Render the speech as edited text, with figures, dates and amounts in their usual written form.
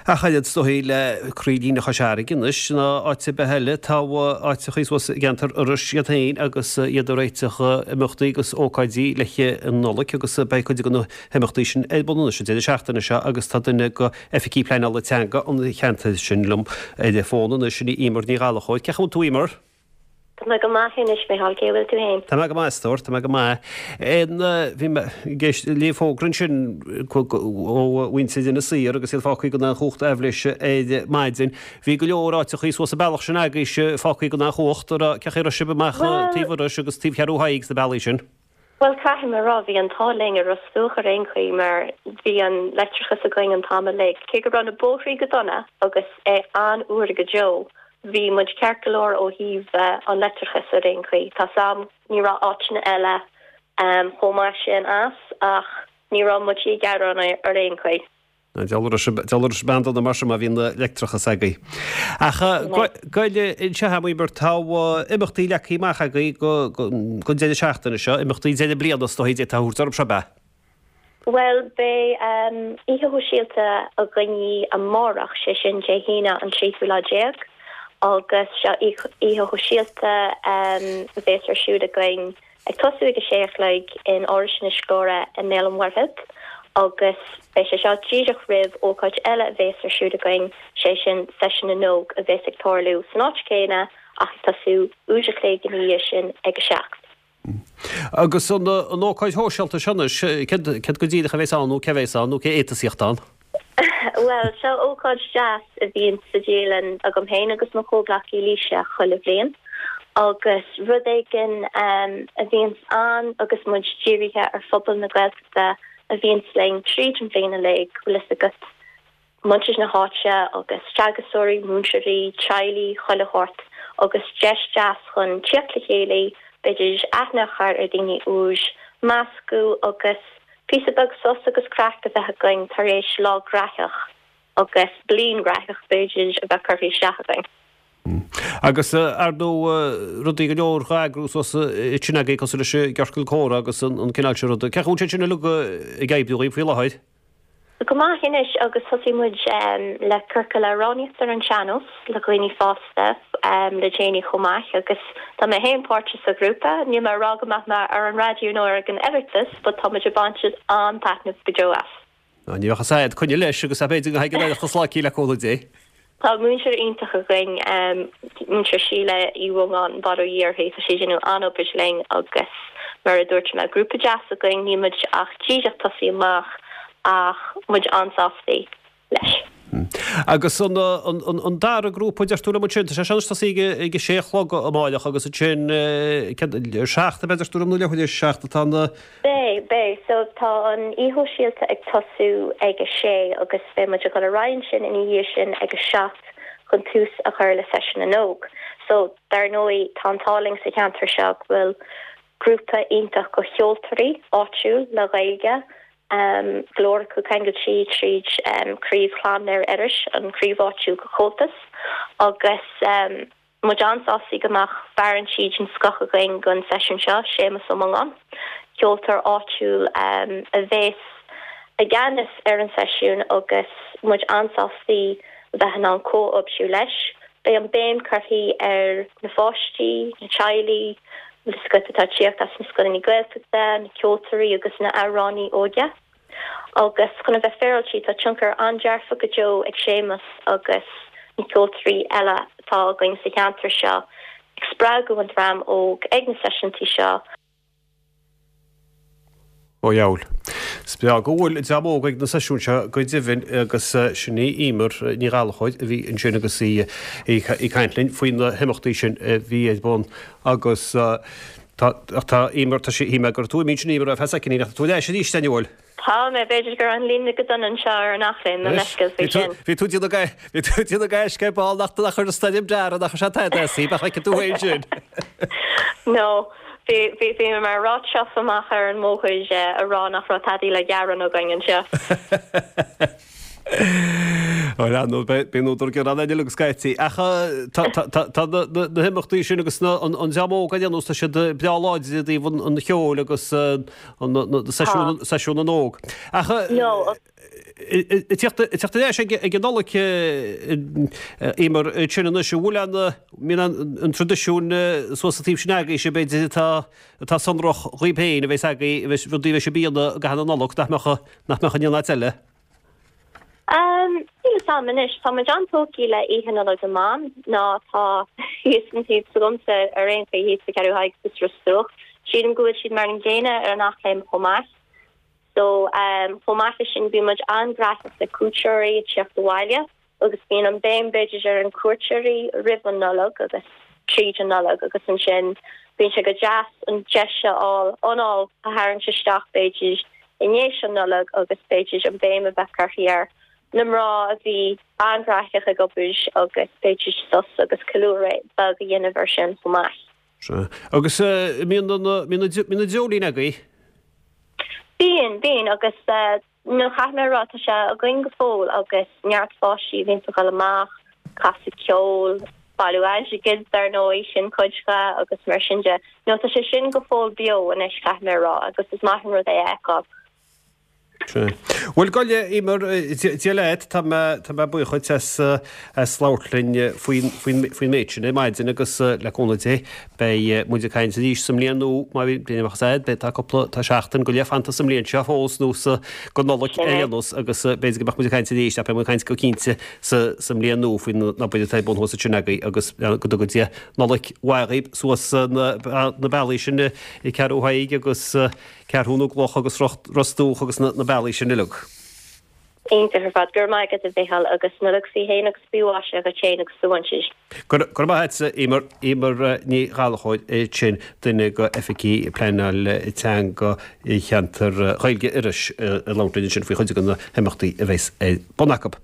Ach oiread is dóigh le croílíne Chois Fharraige anois ná áit ar bith eile, tá áiteachaí suas i gceantar Iorrais iad féin agus iad ag réiteach imeachtaí agus ócáidí le an Nollaig agus beidh cuid de na himeachtaí sin ar bun anois an deireadh seachtaine seo agus tá duine de oifigigh pleanála teanga an cheantair sin liom ar an bhfón anois, sin í Emer Ní Ghallchóir. Cén chaoi a bhfuil tú Emer? Tá mé go maith anois, Micheál, cé bhfuil tú fhéin? Tá mé go maith, a stór, tá mé go maith. Bhí mé ag éist le fógra ansin ó mhuintir Inis Oírr agus iad fágtha gan aon chumhacht aibhléise ar maidin. Bhí go leor áiteachaí suas an bealach sin agaibhse fágtha gan aon chumhacht. Cén chaoi a raibh sibh amach taobh Iorrais agus taobh Cheathrú Thaidhg sna bealaí sin? Bhuel, caithfidh mé a rá, bhí an t-ádh linn i Ros Dumhach ar aon chaoi mar bhí an leictreachas againn an t-am uilig. Cé go raibh na bóithrí go dona agus é an-fhuar go deo, bhí muid ceart go leor ó thaobh an leictreachais ar aon chaoi. Tá's a'm, ní raibh áiteanna eile chomh maith sin as ach ní raibh muid ag gearán ar aon chaoi. Diabhal a raibh sibh an-dona mar sin má bhí an leictreachas agaibh. Ach goil anseo a'm Emer, tá imeachtaí leagtha amach agaibh don deireadh seachtaine seo, imeachtaí deireadh bliana is dóigh d'fhéadfá a thabhairt orthu seo, ab ea? Bhuel, beidh oíche shóisialta againn amárach, sé sin Dé hAoine an tríú lá déag, agus seo oíche shóisialta a bhéas ar siúl againn Ag tosú ag a sé a chlog in Áras Inis Gluaire i mBéal an Mhuirthead agus beidh sé seo díreach roimh ócáid eile a bhéas ar siúl againn, sé sin Seisiún na nÓg a bhéas ag tarlú san áit chéanna ach ag tosú uair a chloig ina dhiaidh sin ag a 7. Agus an ócáid shóisialta seo anois, céard go díreach a bhéas ann nó cé a bhéas ann nó cé a fhéadfas a thíocht ann? Bhuel, seo ócáid deas a bhíonn sa dialann agam féin agus mo chomhghleacaí Laoise chuile bhliain agus rud éigin a bhíonns ann agus muid dírithe ar phobal na Gaeltachta a bhíonns linn tríd an bhliain uilig, bhfuil fhios agat, muintir na háite agus teagascóirí, múinteoirí, teaghlaigh, chuile shórt agus deis deas chun tíocht le chéile, b'fhéidir aithne a chur ar daoine úr, meascadh agus. Píosa beag sos agus craic a bheith againn tar éis lá graitheach agus bliain graitheach b'fhéidir a bheith curtha isteach againn. Agus ar ndóigh rudaí go leor dhá eagrú suas ansin agaibh cosúil leis an gciorcal comhrá agus an cineál sin ruda. Cén chaoi a bhfuil sé sin uilig ag oibriú dhaoibh faoi láthair? Go maith anois agus thosaigh muid le ciorcal amhránaíochta ar an sean-nós le dhaoine fásta le déanaí chomh maith agus tá mé féin páirteach sa ghrúpa. Níl mé ag rá go mbeadh mé ar an raidió nó ar an Oireachtas but tá muid ag baint an-taitneamh go deo as. Ní bheadh fhios a'd, coinnigh leis agus b'fhéidir go dtagann an Oireachtas lá eicínt le cúnamh Dé. Tá múinteoir iontach againn, Múinteoir Síle Uí Mhongáin, bail ó Dhia uirthi, tá sí ag déanamh an-obair linn agus mar a dúirt mé, grúpa deas againn, níl muid ach díreach tosaí amach ach muid an-sástaí leis. Agus an dara grúpa, deir tú liom ansin, tá sé seo anois tosaí ag a sé a chlog amáireach agus ansin céard, a seacht ab ea deir tú liom nó leathuair théis a seacht atá na. Beidh, beidh. So tá an oíche shóisialta ag tosú ag a sé agus beidh muid ag dul ar aghaidh ansin ina dhiaidh sin ag a 7 chun tús a chur le Seisiún na nÓg. So dar ndóigh tá an t-ádh linn sa cheantar seo go bhfuil grúpa iontach de cheoltóirí áitiúil le Gaeilge, go leor acu ceangailte tríd Craobh Chlann Mhéara Iorrais, an chraobh áitiúil de Chomhaltas agus, Muid an-sástaí go mbeadh fear an tí den scoth againn don seisiún seo, Séamus Ó Mongáin, ceoltóir áitiúil a bhéas i gceannas ar an seisiún agus muid an-sástaí a bheith in ann comhoibriú leis. Beidh an béim curtha ar na pháistí, na teaghlaigh, bhfuil fhios agat, atá ag tíocht as na scoileanna Gaeltachta, na ceoltóirí agus na amhránaí óige. Agus chun a bheith féaráilte, tá tionchar an-dearfach go deo ag Séamus agus na ceoltóirí eile atá againn sa cheantar seo ag spreagadh an dream óg ag na seisiúntaí seo. Ó dheabhail. Is breá go bhfuil an dream óg ag na seisiúin seo go deimhin agus sin í Emer Ní Ghallchóir a bhí ansin agus í ag caint linn faoi na himeachtaí sin a bhí ar bun agus Tá, ach tá, Emer, tá sí, shíl mé go raibh tú imithe ansin Emer, ar feadh soicind, ach tá tú ar ais arís, an bhfuil? Tá mé, b'fhéidir go raibh an líne go dona anseo ar an Eachléim, mo leithscéal faoi sin. Bhí tú ag déanamh, bhí tú ag déanamh gaisce ar ball nach nach chuir an stoirm deara, nach raibh sé tada as í, bheadh aici tú féin sin. No, bhí, bhí, bhí mé mar ráit seo amach ar an mbóthar a rá nach raibh tadaí le gearán againn anseo. Bhuel, ar ndóigh, bíonn údar gearáin againn uilig scaití. Ach tá na himeachtaí sin agus an dream óg ar aon nós, tá siad breá láidir i dtaobh an cheoil agus seisiún na nÓg. Ach. Ag teacht ar ais ag an Nollaig, Eimear, sin anois, an bhfuil an, mbíonn an traidisiún suas an taobh sin agaibhse, b'fhéidir, atá, atá sonrach dhaoib féin, a bheas agaibh, a bheas, rudaí a bheas sibh a dhéanamh i gcaitheamh na Nollag nach mbeadh, nach mbeadh in aon áit eile? Níl fhios a'm anois, tá muid an-tógtha le Oíche Nollag na mBan, ná tá thíos an taobh s'agamsa ar aon chaoi thíos sa Cheathrú Thaidhg sa Ros Dumhach. Sílim go bhfuil siad mar an gcéanna ar an Eachléim chomh maith. So, chomh maith leis sin bíonn muid an-ghnaitheach le cuairteoirí ag tíocht abhaile agus bíonn an béim b'fhéidir ar an cuairteoirí roimh an Nollaig agus tríd an Nollaig agus ansin bíonn sé go deas an deis a fháil anáil a tharraingt isteach b'fhéidir i ndiaidh an Nollaig agus b'fhéidir an béim a bheith curtha ar na mná a bhí an-ghnaitheach ag obair agus b'fhéidir sos agus ceiliúradh beag a dhéanamh ar sin chomh maith. Sea. Agus mbíonn an dreoilín agaibh? Bíonn, bíonn agus nó caithfidh mé a rá tá sé againn go fóill agus neart pháistí a bhíonns ag dul amach, casadh ceoil, bailiú airgid dar ndóigh, sin cuid dhe agus mar sin de. Nó tá sé sin go fóill beo anois caithfidh mé a rá agus is maith an rud é a fheiceáil. Sea. Bhuel, gabh i leith, Eimear, Dia leat, tá mé, tá mé buíoch dhuit as, as labhairt linn faoin, faoin, faoin méid sin ar maidin agus le cúnamh Dé beidh muid ag caint arís sa mbliain nua má bhíonn, bíonn amach as fhad, beidh, tá cúpla, tá seachtain go leith fanta sa mbliain seo fós nó sa, go Nollaig ar aon nós agus b'fhéidir go mbeadh muid ag caint arís ach beidh muid ag caint go cinnte sa, sa mbliain nua faoin obair atá ar bun thuas ansin agaibh agus go dtuga Dia Nollaig mhaith dhaoibh suas na, na bealaí sin i Ceathrú Thaidhg agus. Ceathrú na gCloch agus Ros Dumhach agus na bealaí sin uilig. Iontach ar fad. Go raibh maith agat a Mhichíl agus Nollaig faoi shéan agus faoi mhaise dhuit féin agus do mhuintir. Go raibh maith agat Eimear. Eimear Ní Ghallchóir ansin, duine de oifigigh pleanáil teanga cheantar Ghaeilge Iorrais ag labhairt linn ansin faoi chuid de na himeachtaí a bheas ar bun acu.